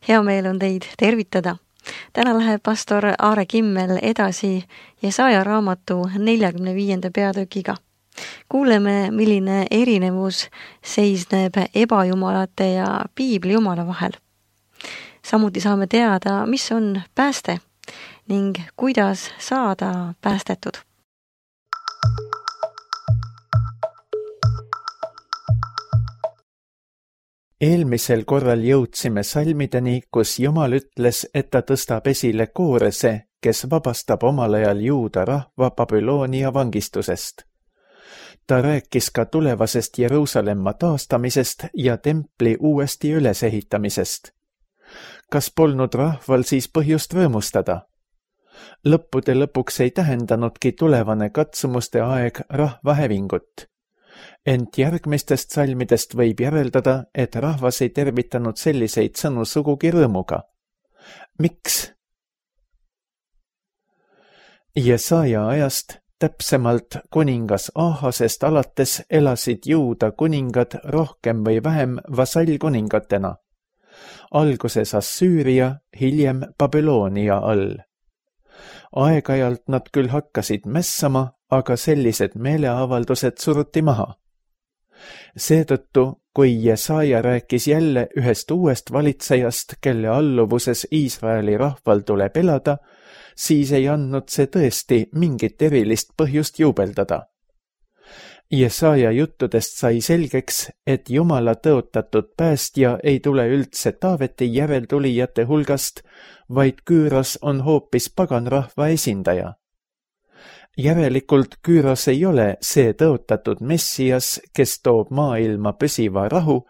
Hea meel on teid tervitada. Täna läheb pastor Aare Kimmel edasi Jesaja raamatu 45. peatükiga. Kuuleme, milline erinevus seisneb ebajumalate ja piibli jumala vahel. Samuti saame teada, mis on pääste ning kuidas saada päästetud. Eelmisel korral jõudsime salmideni, kus Jumal ütles, et ta tõstab esile Koorese, kes vabastab omal ajal Juuda rahva Babyloonia vangistusest. Ta rääkis ka tulevasest Jeruusalemma taastamisest ja templi uuesti ülesehitamisest. Kas polnud rahval siis põhjust rõõmustada? Lõppude lõpuks ei tähendanudki tulevane katsumuste aeg rahva hävingut. Ent järgmistest salmidest võib järeldada, et rahvas ei tervitanud selliseid sõnu sugugi rõõmuga. Miks? Jesaja ajast, täpsemalt kuningas Ahasest alates elasid Juuda kuningad rohkem või vähem vasallkuningatena. Alguses Assüüria, hiljem Babyloonia all. Aeg-ajalt nad küll hakkasid mässama, aga sellised meeleavaldused suruti maha. Seetõttu, kui Jesaja rääkis jälle ühest uuest valitsejast, kelle alluvuses Iisraeli rahval tuleb elada, siis ei andnud see tõesti mingit erilist põhjust juubeldada. Jesaja juttudest sai selgeks, et Jumala tõotatud päästja ei tule üldse Taaveti järeltulijate hulgast, vaid Küüros on hoopis paganrahva esindaja. Järelikult Küüros ei ole see tõotatud Messias, kes toob maailma püsiva rahu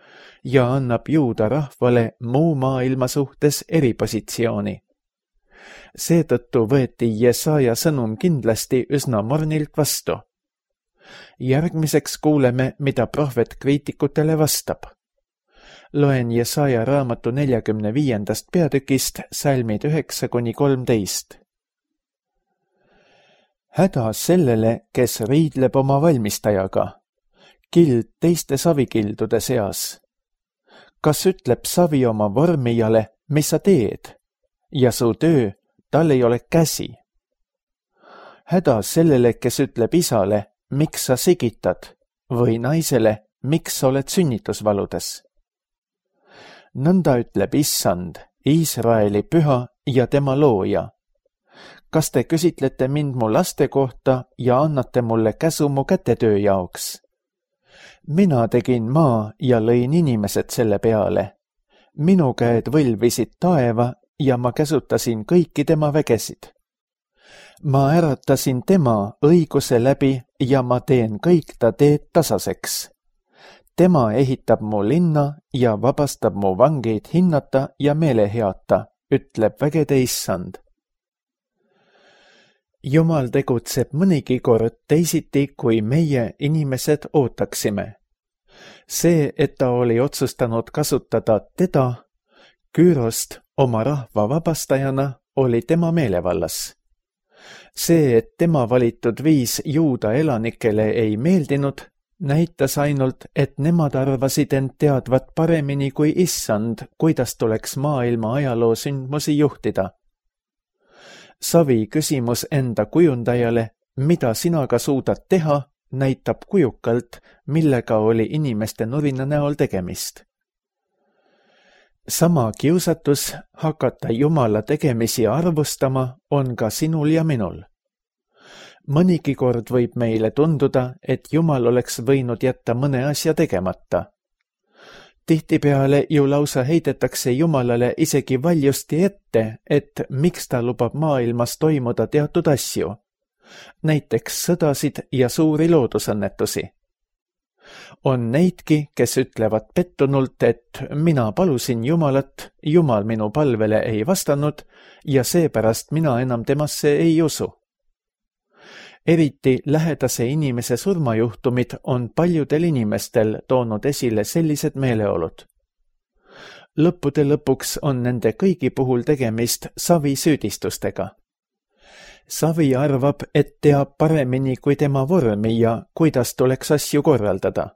ja annab Juuda rahvale muu maailma suhtes eripositsiooni. Seetõttu võeti Jesaja sõnum kindlasti üsna mornilt vastu. Järgmiseks kuuleme, mida prohvet kriitikutele vastab. Loen Jesaja raamatu 45. peatükist salmid 9-13. Häda sellele, kes riidleb oma valmistajaga, kild teiste savikildude seas. Kas ütleb savi oma vormijale, mis sa teed, ja su töö, tal ei ole käsi? Häda sellele, kes ütleb isale, miks sa sigitad, või naisele, miks sa oled sünnitusvaludes? Nõnda ütleb Issand, Iisraeli püha ja tema looja. Kas te küsitlete mind mu laste kohta ja annate mulle käsu mu kätetöö jaoks? Mina tegin maa ja lõin inimesed selle peale. Minu käed võlvisid taeva ja ma käsutasin kõiki tema vägesid. Ma äratasin tema õiguse läbi ja ma teen kõik ta teed tasaseks. Tema ehitab mu linna ja vabastab mu vangeid hinnata ja meeleheata, ütleb vägede Issand. Jumal tegutseb mõnigi kord teisiti, kui meie inimesed ootaksime. See, et ta oli otsustanud kasutada teda, Küürost, oma rahva vabastajana, oli tema meelevallas. See, et tema valitud viis Juuda elanikele ei meeldinud, näitas ainult, et nemad arvasid end teadvat paremini kui Issand, kuidas tuleks maailma ajaloo sündmusi juhtida. Savi küsimus enda kujundajale, mida sina ka suudad teha, näitab kujukalt, millega oli inimeste nurina näol tegemist. Sama kiusatus hakata Jumala tegemisi arvustama on ka sinul ja minul. Mõnigi kord võib meile tunduda, et Jumal oleks võinud jätta mõne asja tegemata. Tihtipeale ju lausa heidetakse Jumalale isegi valjusti ette, et miks ta lubab maailmas toimuda teatud asju, näiteks sõdasid ja suuri loodusõnnetusi. On neidki, kes ütlevad pettunult, et mina palusin Jumalat, Jumal minu palvele ei vastanud ja seepärast mina enam temasse ei usu. Eriti lähedase inimese surmajuhtumid on paljudel inimestel toonud esile sellised meeleolud. Lõppude lõpuks on nende kõigi puhul tegemist Savi süüdistustega. Savi arvab, et teab paremini kui tema vormi ja kuidas tuleks asju korraldada.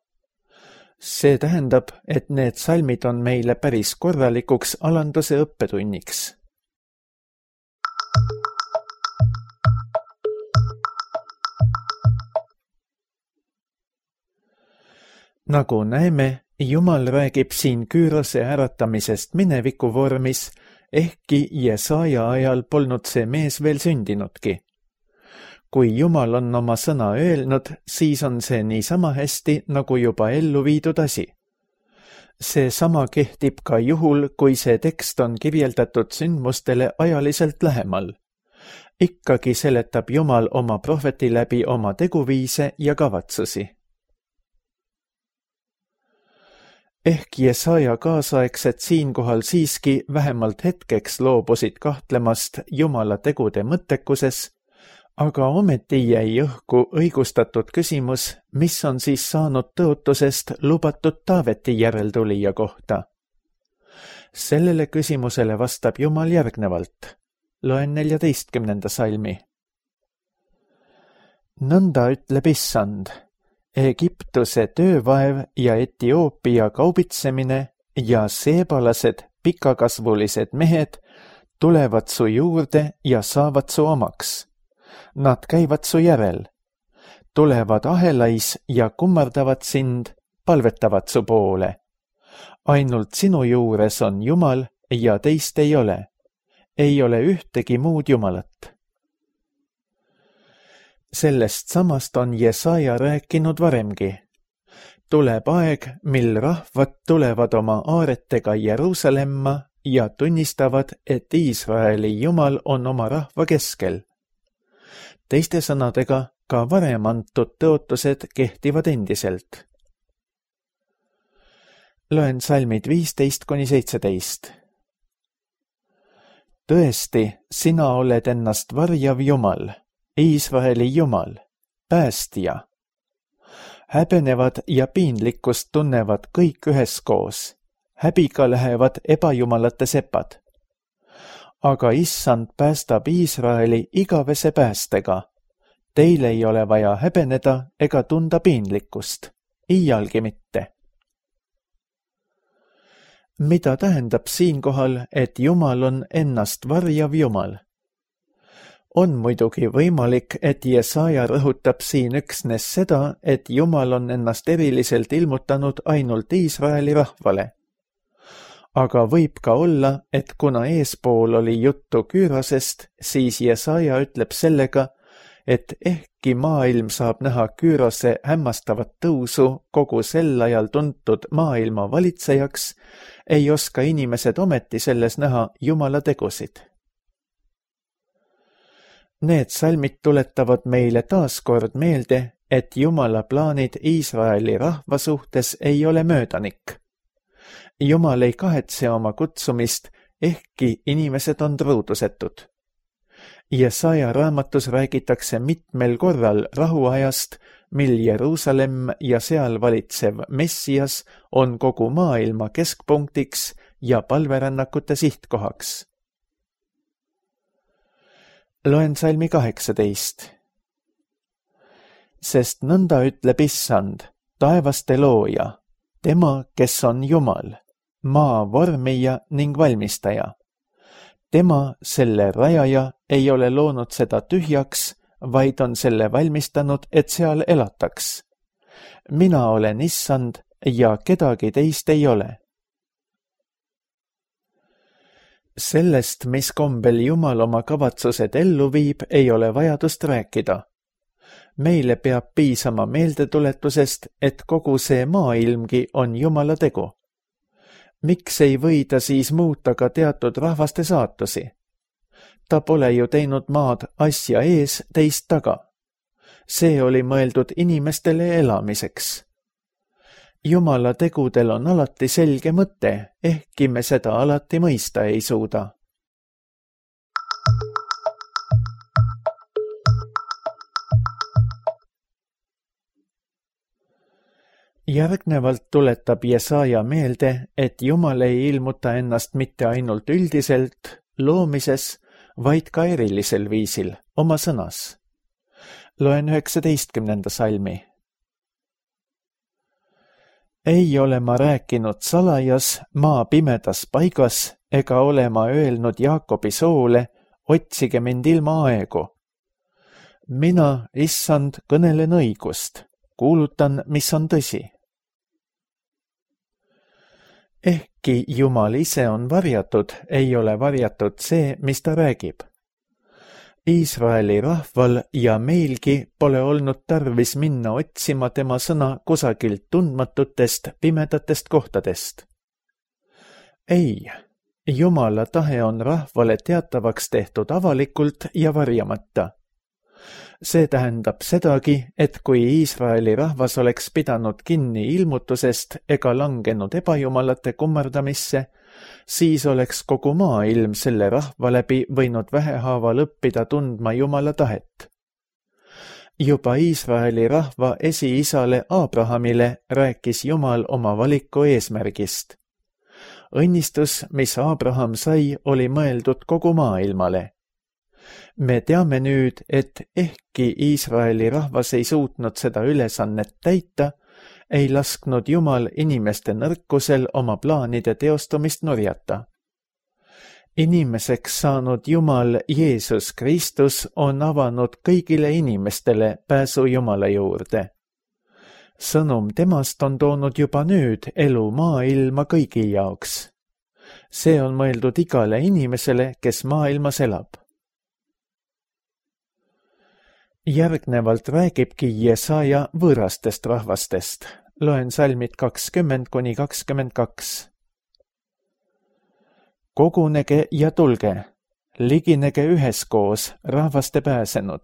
See tähendab, et need salmid on meile päris korralikuks alanduse õppetunniks. Nagu näeme, Jumal räägib siin Küürose äratamisest mineviku vormis, ehkki Jesaja ajal polnud see mees veel sündinudki. Kui Jumal on oma sõna öelnud, siis on see niisama hästi, nagu juba ellu viidud asi. See sama kehtib ka juhul, kui see tekst on kirjeldatud sündmustele ajaliselt lähemal. Ikkagi seletab Jumal oma prohveti läbi oma teguviise ja kavatsusi. Ehk Jesaja kaasaegsed siinkohal siiski vähemalt hetkeks loobusid kahtlemast Jumala tegude mõttekuses, aga ometi jäi õhku õigustatud küsimus, mis on siis saanud tõotusest lubatud Taaveti järeltulija kohta. Sellele küsimusele vastab Jumal järgnevalt. Loen 14. salmi. Nõnda ütleb Issand. Egiptuse töövaev ja Etioopia kaubitsemine ja seebalased pikakasvulised mehed tulevad su juurde ja saavad su omaks. Nad käivad su järel, tulevad ahelais ja kummardavad sind, palvetavad su poole. Ainult sinu juures on Jumal ja teist ei ole. Ei ole ühtegi muud Jumalat. Sellest samast on Jesaja rääkinud varemgi. Tuleb aeg, mil rahvad tulevad oma aaretega Jeruusalemma ja tunnistavad, et Iisraeli Jumal on oma rahva keskel. Teiste sõnadega, ka varem antud tõotused kehtivad endiselt. Loen salmid 15–17. Tõesti, sina oled ennast varjav Jumal. Iisraeli Jumal, päästja. Häbenevad ja piinlikkust tunnevad kõik üheskoos. Häbiga lähevad ebajumalate sepad. Aga Issand päästab Iisraeli igavese päästega. Teil ei ole vaja häbeneda ega tunda piinlikkust. Iialgi mitte. Mida tähendab siinkohal, et Jumal on ennast varjav Jumal? On muidugi võimalik, et Jesaja rõhutab siin üksnes seda, et Jumal on ennast eriliselt ilmutanud ainult Iisraeli rahvale. Aga võib ka olla, et kuna eespool oli juttu Küürosest, siis Jesaja ütleb sellega, et ehkki maailm saab näha Küürose hämmastavat tõusu kogu sel ajal tuntud maailma valitsejaks, ei oska inimesed ometi selles näha Jumala tegusid. Need salmid tuletavad meile taaskord meelde, et Jumala plaanid Iisraeli rahva suhtes ei ole möödanik. Jumal ei kahetse oma kutsumist, ehkki inimesed on truudusetud. Jesaja raamatus räägitakse mitmel korral rahuajast, mil Jeruusalemm ja seal valitsev Messias on kogu maailma keskpunktiks ja palverännakute sihtkohaks. Loen salmi 18. Sest nõnda ütleb Issand, taevaste looja, tema, kes on Jumal, maa vormija ning valmistaja. Tema, selle rajaja, ei ole loonud seda tühjaks, vaid on selle valmistanud, et seal elataks. Mina olen Issand ja kedagi teist ei ole. Sellest, mis kombel Jumal oma kavatsused ellu viib, ei ole vajadust rääkida. Meile peab piisama meeldetuletusest, et kogu see maailmgi on Jumala tegu. Miks ei või ta siis muuta ka teatud rahvaste saatusi? Ta pole ju teinud maad asja ees, teist taga. See oli mõeldud inimestele elamiseks. Jumala tegudel on alati selge mõte, ehkki me seda alati mõista ei suuda. Järgnevalt tuletab Jesaja meelde, et Jumal ei ilmuta ennast mitte ainult üldiselt, loomises, vaid ka erilisel viisil, oma sõnas. Loen 19. salmi. Ei ole ma rääkinud salajas maa pimedas paigas ega ole ma öelnud Jaakobi soole, otsige mind ilma aegu. Mina, issand, kõnelen õigust, kuulutan, mis on tõsi. Ehkki Jumal ise on varjatud, ei ole varjatud see, mis ta räägib. Iisraeli rahval ja meilgi pole olnud tarvis minna otsima tema sõna kusagilt tundmatutest pimedatest kohtadest. Ei, Jumala tahe on rahvale teatavaks tehtud avalikult ja varjamata. See tähendab sedagi, et kui Iisraeli rahvas oleks pidanud kinni ilmutusest ega langenud ebajumalate kummardamisse, siis oleks kogu maailm selle rahva läbi võinud vähehaaval õppida tundma Jumala tahet. Juba Iisraeli rahva esiisale Abrahamile rääkis Jumal oma valiku eesmärgist. Õnnistus, mis Abraham sai, oli mõeldud kogu maailmale. Me teame nüüd, et ehkki Iisraeli rahvas ei suutnud seda ülesannet täita, ei lasknud Jumal inimeste nõrkusel oma plaanide teostumist nurjata. Inimeseks saanud Jumal Jeesus Kristus on avanud kõigile inimestele pääsu Jumala juurde. Sõnum temast on toonud juba nüüd elu maailma kõigi jaoks. See on mõeldud igale inimesele, kes maailmas elab. Järgnevalt räägibki Jesaja võõrastest rahvastest. Loen salmid 20–22. Kogunege ja tulge, liginege üheskoos, rahvaste pääsenud.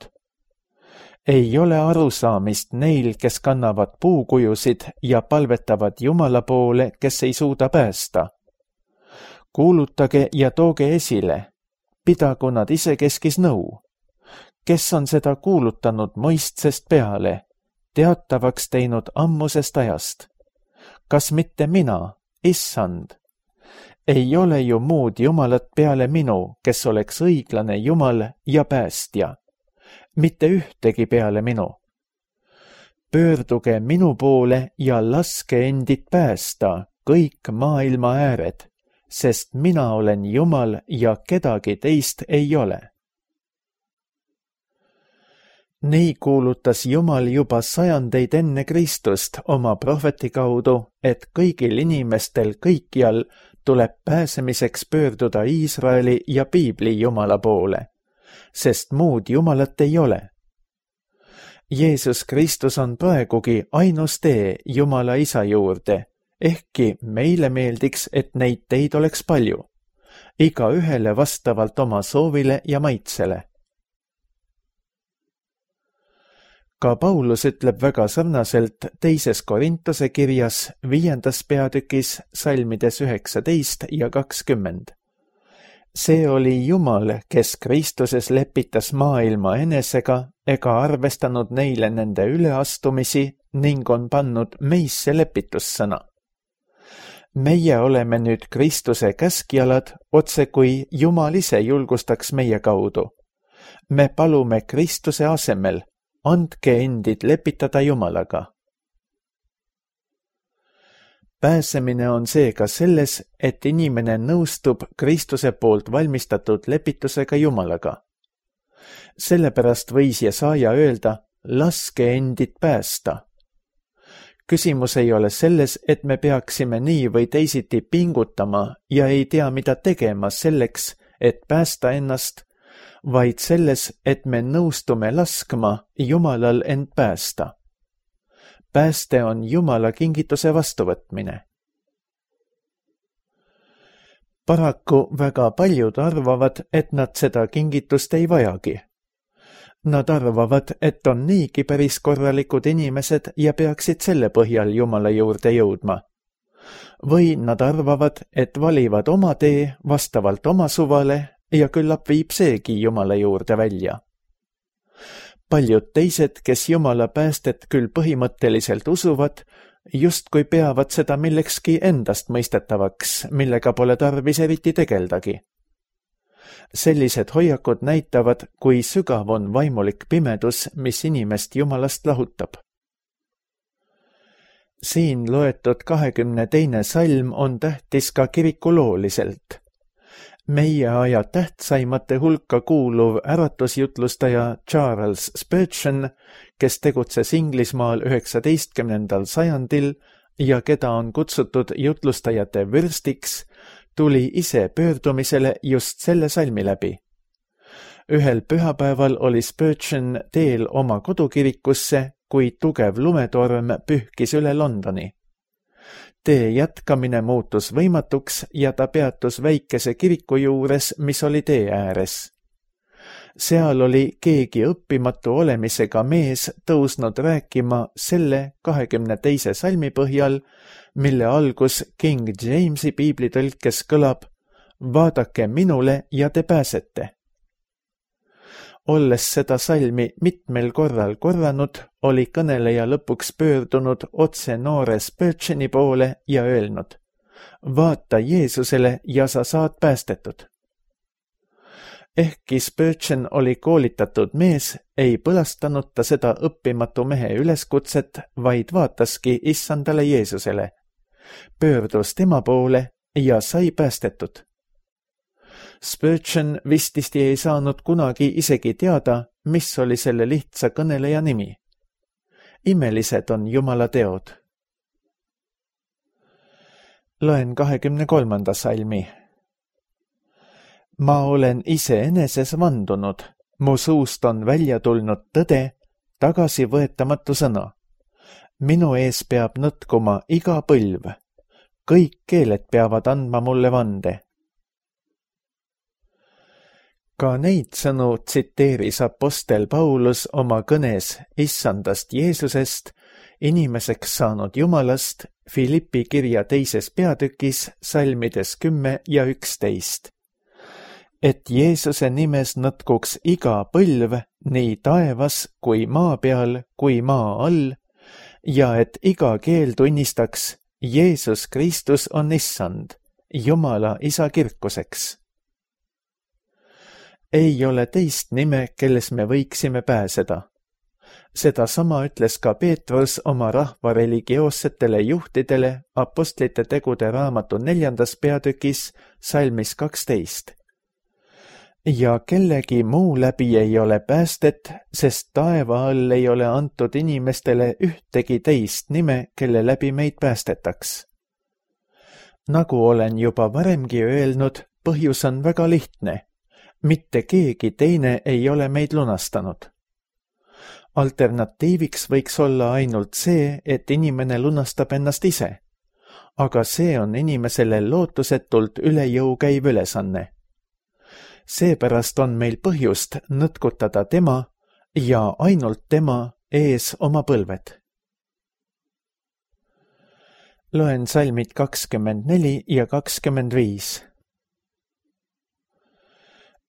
Ei ole arusaamist neil, kes kannavad puukujusid ja palvetavad Jumala poole, kes ei suuda päästa. Kuulutage ja tooge esile, pidagu nad isekeskis nõu. Kes on seda kuulutanud mõistsest peale, teatavaks teinud ammusest ajast? Kas mitte mina, issand? Ei ole ju muud Jumalat peale minu, kes oleks õiglane Jumal ja päästja. Mitte ühtegi peale minu. Pöörduge minu poole ja laske endid päästa kõik maailma ääred, sest mina olen Jumal ja kedagi teist ei ole. Nii kuulutas Jumal juba sajandeid enne Kristust oma prohveti kaudu, et kõigil inimestel kõikjal tuleb pääsemiseks pöörduda Iisraeli ja Piibli Jumala poole, sest muud Jumalat ei ole. Jeesus Kristus on praegugi ainus tee Jumala Isa juurde, ehkki meile meeldiks, et neid teid oleks palju, igaühele vastavalt oma soovile ja maitsele. Ka Paulus ütleb väga sarnaselt teises Korintuse kirjas 5. peatükis salmides 19 ja 20. See oli Jumal, kes Kristuses lepitas maailma enesega ega arvestanud neile nende üleastumisi ning on pannud meisse lepitussõna. Meie oleme nüüd Kristuse käskjalad, otse kui Jumal ise julgustaks meie kaudu. Me palume Kristuse asemel, andke endid lepitada Jumalaga. Pääsemine on seega selles, et inimene nõustub Kristuse poolt valmistatud lepitusega Jumalaga. Sellepärast võis Jesaja öelda, laske endid päästa. Küsimus ei ole selles, et me peaksime nii või teisiti pingutama ja ei tea, mida tegema selleks, et päästa ennast, vaid selles, et me nõustume laskma Jumalal end päästa. Pääste on Jumala kingituse vastuvõtmine. Paraku väga paljud arvavad, et nad seda kingitust ei vajagi. Nad arvavad, et on niigi päris korralikud inimesed ja peaksid selle põhjal Jumala juurde jõudma. Või nad arvavad, et valivad oma tee vastavalt oma suvale ja küllap viib seegi Jumala juurde välja. Paljud teised, kes Jumala päästet küll põhimõtteliselt usuvad, justkui peavad seda millekski endast mõistetavaks, millega pole tarvis eriti tegeldagi. Sellised hoiakud näitavad, kui sügav on vaimulik pimedus, mis inimest Jumalast lahutab. Siin loetud 22. salm on tähtis ka kirikulooliselt. Meie aja tähtsaimate hulka kuuluv äratusjutlustaja Charles Spurgeon, kes tegutses Inglismaal 19. sajandil ja keda on kutsutud jutlustajate vürstiks, tuli ise pöördumisele just selle salmi läbi. Ühel pühapäeval oli Spurgeon teel oma kodukirikusse, kui tugev lumetorm pühkis üle Londoni. Tee jätkamine muutus võimatuks ja ta peatus väikese kiriku juures, mis oli tee ääres. Seal oli keegi õppimatu olemisega mees tõusnud rääkima selle 22. salmi põhjal, mille algus King Jamesi piiblitõlkes kõlab: vaadake minule ja te pääsete. Olles seda salmi mitmel korral korranud, oli kõneleja lõpuks pöördunud otse noore Spurgeoni poole ja öelnud: vaata Jeesusele ja sa saad päästetud. Ehkki Spurgeon oli koolitatud mees, ei põlastanud ta seda õppimatu mehe üleskutset, vaid vaataski issandale Jeesusele, pöördus tema poole ja sai päästetud. Spurgeon vististi ei saanud kunagi isegi teada, mis oli selle lihtsa kõneleja nimi. Imelised on Jumala teod. Loen 23. salmi. Ma olen iseeneses vandunud, mu suust on välja tulnud tõde, tagasivõetamatu sõna. Minu ees peab nõtkuma iga põlv. Kõik keeled peavad andma mulle vande. Ka neid sõnu tsiteeris apostel Paulus oma kõnes issandast Jeesusest, inimeseks saanud Jumalast, Filippi kirja 2. peatükis salmides 10 ja 11. Et Jeesuse nimes nõtkuks iga põlv, nii taevas kui maa peal kui maa all, ja et iga keel tunnistaks, Jeesus Kristus on issand, Jumala isa kirkuseks. Ei ole teist nime, kelles me võiksime pääseda. Seda sama ütles ka Peetrus oma rahva religioossetele juhtidele apostlite tegude raamatu 4. peatükis salmis 12. Ja kellegi muu läbi ei ole päästet, sest taeva all ei ole antud inimestele ühtegi teist nime, kelle läbi meid päästetaks. Nagu olen juba varemgi öelnud, põhjus on väga lihtne. Mitte keegi teine ei ole meid lunastanud. Alternatiiviks võiks olla ainult see, et inimene lunastab ennast ise, aga see on inimesele lootusetult üle jõu käiv ülesanne. Seepärast on meil põhjust nõtkutada tema ja ainult tema ees oma põlved. Loen salmid 24 ja 25.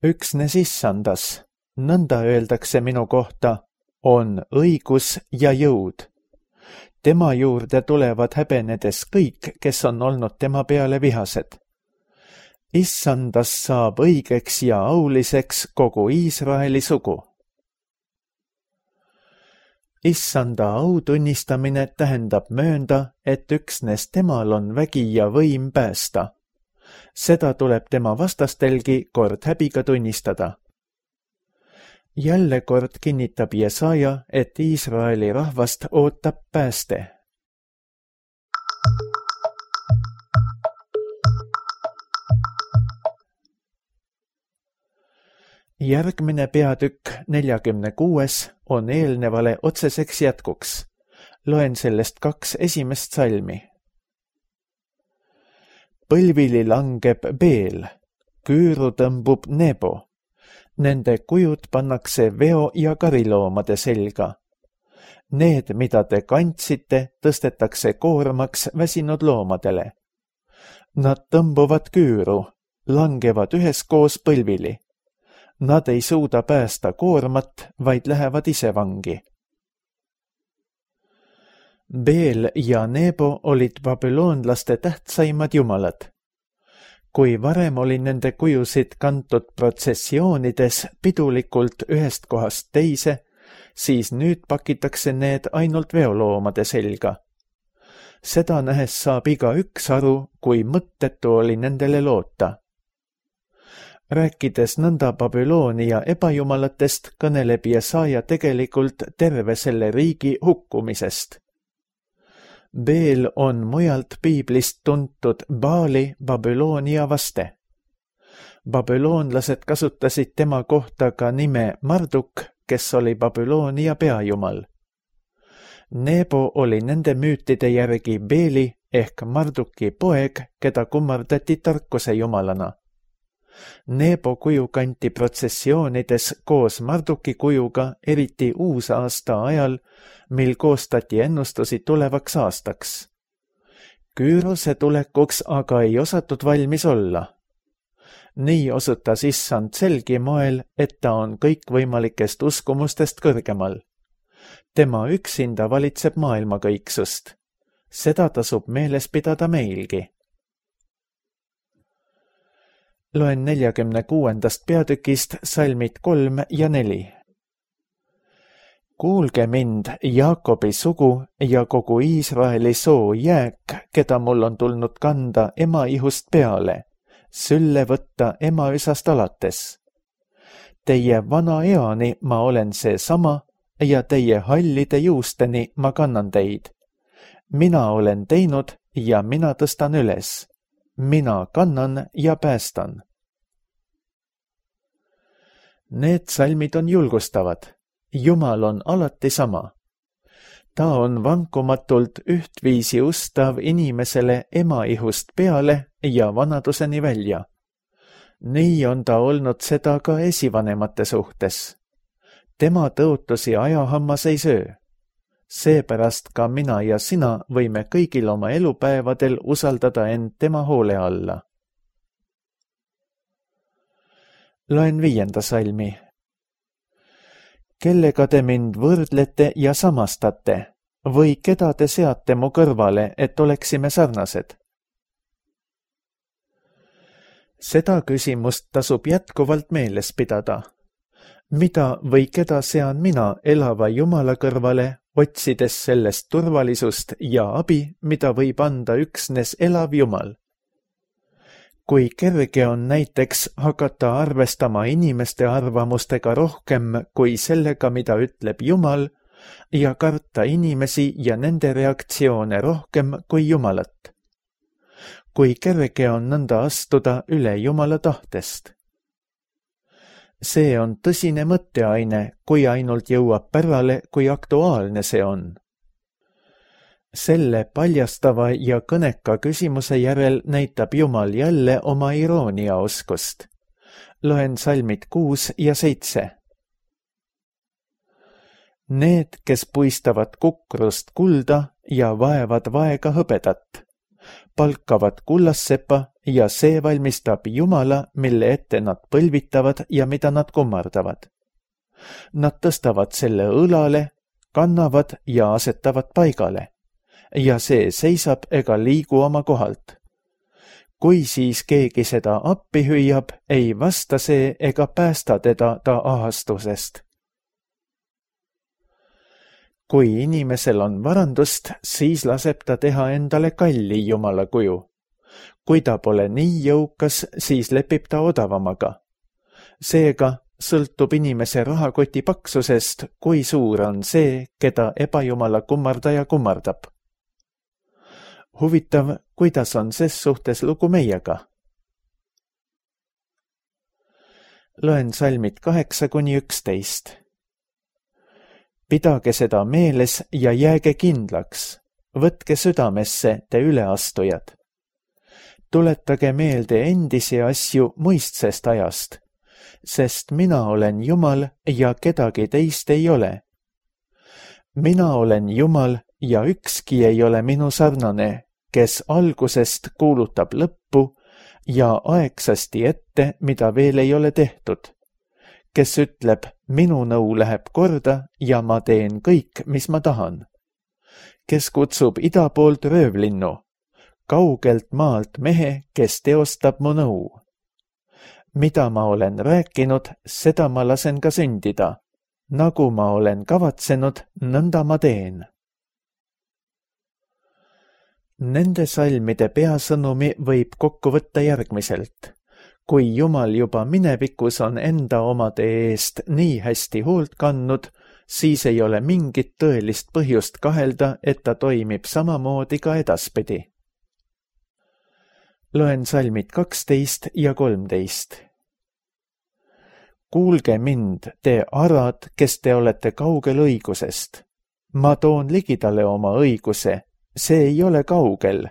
Üksnes issandas, nõnda öeldakse minu kohta, on õigus ja jõud. Tema juurde tulevad häbenedes kõik, kes on olnud tema peale vihased. Issandas saab õigeks ja auliseks kogu Iisraeli sugu. Issanda au tunnistamine tähendab möönda, et üksnes temal on vägi ja võim päästa. Seda tuleb tema vastastelgi kord häbiga tunnistada. Jälle kord kinnitab Jesaja, et Iisraeli rahvast ootab pääste. Järgmine peatükk 46 on eelnevale otseseks jätkuks. Loen sellest 2 esimest salmi. Põlvili langeb Beel, küüru tõmbub Nebo. Nende kujud pannakse veo- ja kariloomade selga. Need, mida te kandsite, tõstetakse koormaks väsinud loomadele. Nad tõmbuvad küüru, langevad üheskoos põlvili. Nad ei suuda päästa koormat, vaid lähevad ise vangi. Beel ja Nebo olid babüloonlaste tähtsaimad jumalad. Kui varem oli nende kujusid kantud protsessioonides pidulikult ühest kohast teise, siis nüüd pakitakse need ainult veoloomade selga. Seda nähes saab igaüks aru, kui mõttetu oli nendele loota. Rääkides nõnda Babyloonia ebajumalatest, kõneleb Jesaja tegelikult terve selle riigi hukkumisest. Beel on mujalt piiblist tuntud Baali Babyloonia vaste. Babüloonlased kasutasid tema kohta ka nime Marduk, kes oli Babyloonia peajumal. Nebo oli nende müütide järgi Beeli ehk Marduki poeg, keda kummardati tarkuse jumalana. Nebo kuju kanti protsessioonides koos Marduki kujuga, eriti uusaasta ajal, mil koostati ennustusi tulevaks aastaks. Küürose tulekuks aga ei osatud valmis olla. Nii osutas issand selgi moel, et ta on kõikvõimalikest uskumustest kõrgemal. Tema üksinda valitseb maailmakõiksust. Seda tasub meeles pidada meilgi. Loen 46. peatükist salmid 3 ja 4. Kuulge mind, Jaakobi sugu ja kogu Iisraeli soo jääk, keda mul on tulnud kanda ema ihust peale, sülle võtta ema üsast alates. Teie vana eani ma olen seesama ja teie hallide juusteni ma kannan teid. Mina olen teinud ja mina tõstan üles. Mina kannan ja päästan. Need salmid on julgustavad. Jumal on alati sama. Ta on vankumatult ühtviisi ustav inimesele ema ihust peale ja vanaduseni välja. Nii on ta olnud seda ka esivanemate suhtes. Tema tõotusi ajahammas ei söö. Seepärast ka mina ja sina võime kõigil oma elupäevadel usaldada end tema hoole alla. Loen 5. salmi. Kellega te mind võrdlete ja samastate või keda te seate mu kõrvale, et oleksime sarnased? Seda küsimust tasub jätkuvalt meeles pidada. Mida või keda sean mina elava Jumala kõrvale, otsides sellest turvalisust ja abi, mida võib anda üksnes elav Jumal? Kui kerge on näiteks hakata arvestama inimeste arvamustega rohkem kui sellega, mida ütleb Jumal, ja karta inimesi ja nende reaktsioone rohkem kui Jumalat. Kui kerge on nõnda astuda üle Jumala tahtest. See on tõsine mõtteaine, kui ainult jõuab pärale, kui aktuaalne see on. Selle paljastava ja kõneka küsimuse järel näitab Jumal jälle oma irooniaoskust. Loen salmid 6 ja 7. Need, kes puistavad kukrust kulda ja vaevad vaega hõbedat, palkavad kullassepa ja see valmistab Jumala, mille ette nad põlvitavad ja mida nad kummardavad. Nad tõstavad selle õlale, kannavad ja asetavad paigale. Ja see seisab ega liigu oma kohalt. Kui siis keegi seda appi hüüab, ei vasta see ega päästa teda ta ahastusest. Kui inimesel on varandust, siis laseb ta teha endale kalli Jumala kuju. Kui ta pole nii jõukas, siis lepib ta odavamaga. Seega sõltub inimese rahakoti paksusest, kui suur on see, keda ebajumala kummardaja kummardab. Huvitav, kuidas on ses suhtes lugu meiega? Loen salmid 8-11. Pidage seda meeles ja jääge kindlaks. Võtke südamesse, te üleastujad. Tuletage meelde endisi asju muistsest ajast, sest mina olen Jumal ja kedagi teist ei ole. Mina olen Jumal ja ükski ei ole minu sarnane, kes algusest kuulutab lõppu ja aegsasti ette, mida veel ei ole tehtud. Kes ütleb, minu nõu läheb korda ja ma teen kõik, mis ma tahan. Kes kutsub ida poolt röövlinnu, kaugelt maalt mehe, kes teostab mu nõu. Mida ma olen rääkinud, seda ma lasen ka sündida. Nagu ma olen kavatsenud, nõnda ma teen. Nende salmide peasõnumi võib kokku võtta järgmiselt. Kui Jumal juba minevikus on enda omade eest nii hästi hoolt kandnud, siis ei ole mingit tõelist põhjust kahelda, et ta toimib samamoodi ka edaspidi. Loen salmid 12 ja 13. Kuulge mind, te arad, kes te olete kaugel õigusest. Ma toon ligidale oma õiguse, see ei ole kaugel,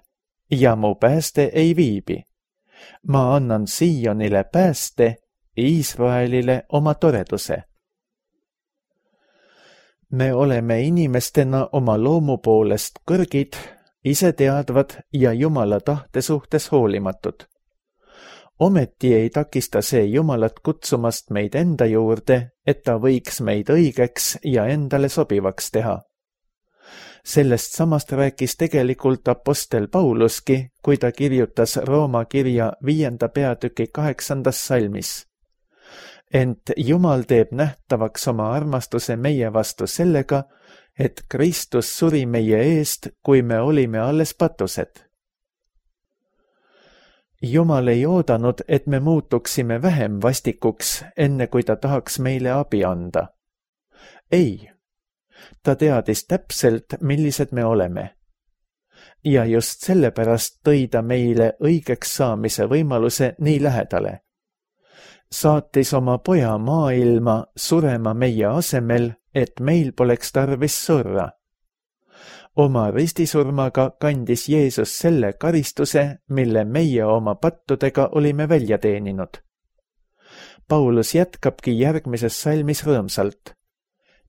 ja mu pääste ei viibi. Ma annan Siionile pääste, Iisraelile oma toreduse. Me oleme inimestena oma loomu poolest kõrgid, iseteadvad ja Jumala tahte suhtes hoolimatud. Ometi ei takista see Jumalat kutsumast meid enda juurde, et ta võiks meid õigeks ja endale sobivaks teha. Sellest samast rääkis tegelikult apostel Pauluski, kui ta kirjutas Rooma kirja 5. peatüki 8. salmis. Ent Jumal teeb nähtavaks oma armastuse meie vastu sellega, et Kristus suri meie eest, kui me olime alles patused. Jumal ei oodanud, et me muutuksime vähem vastikuks, enne kui ta tahaks meile abi anda. Ei. Ta teadis täpselt, millised me oleme. Ja just sellepärast tõi ta meile õigeks saamise võimaluse nii lähedale. Saatis oma poja maailma surema meie asemel, et meil poleks tarvis surra. Oma ristisurmaga kandis Jeesus selle karistuse, mille meie oma pattudega olime välja teeninud. Paulus jätkabki järgmises salmis rõõmsalt.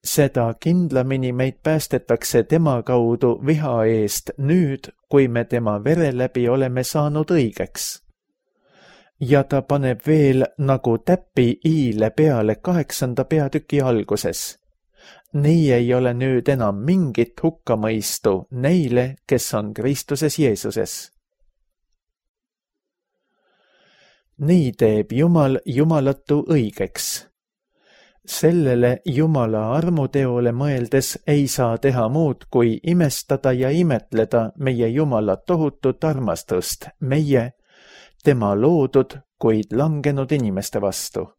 Seda kindlamini meid päästetakse tema kaudu viha eest nüüd, kui me tema vere läbi oleme saanud õigeks. Ja ta paneb veel nagu täpi iile peale 8. peatüki alguses. Nii ei ole nüüd enam mingit hukkamõistu neile, kes on Kristuses Jeesuses. Nii teeb Jumal jumalatu õigeks. Sellele Jumala armuteole mõeldes ei saa teha muud, kui imestada ja imetleda meie Jumala tohutut armastust, meie, tema loodud, kuid langenud inimeste vastu.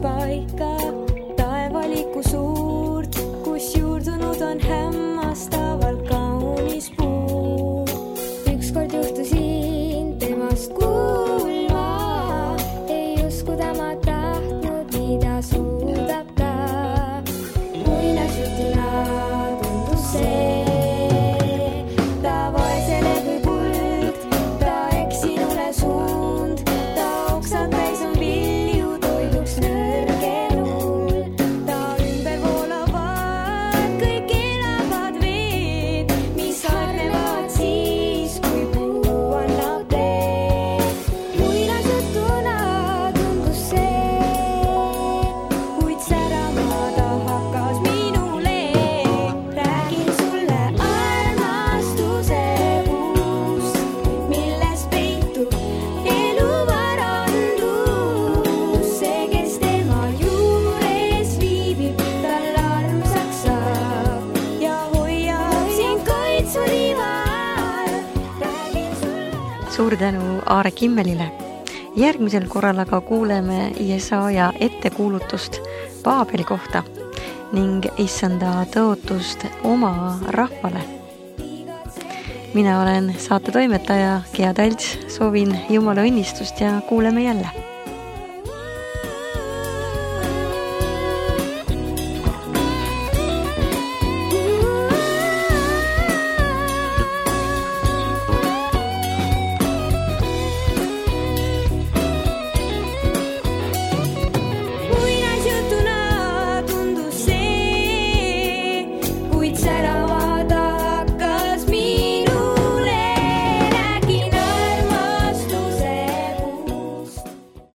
Paika, taevaliku suurt, kus juurdunud on hämmastavalt kaunis puu. Ükskord juhtusin temast kuulma, ei uskuda ma tahtnud, mida suudab ta. Muinasjutuna tundus see, ta vaesele kui kuld, ta eksinule suund, ta oksad täis on vilju toiduks nõrgenul. Ta ümber voolavad kõik elavad veed, mis hargnevad siis, kui puu annab teed. Muinasjutuna tundus see, kuid särama ta hakkas minule. Räägin sulle armastuse puust, milles peitub elu varandus. See, kes tema juures viibib, tal armsaks saab ja hoiab sind kaitsurival. Räägin sulle Suur tänu Aare Kimmelile. Järgmisel korral aga kuuleme Jesaja ettekuulutust Paabeli kohta ning issanda tõotust oma rahvale. Mina olen saate toimetaja Gea Talts, soovin Jumala õnnistust ja kuuleme jälle.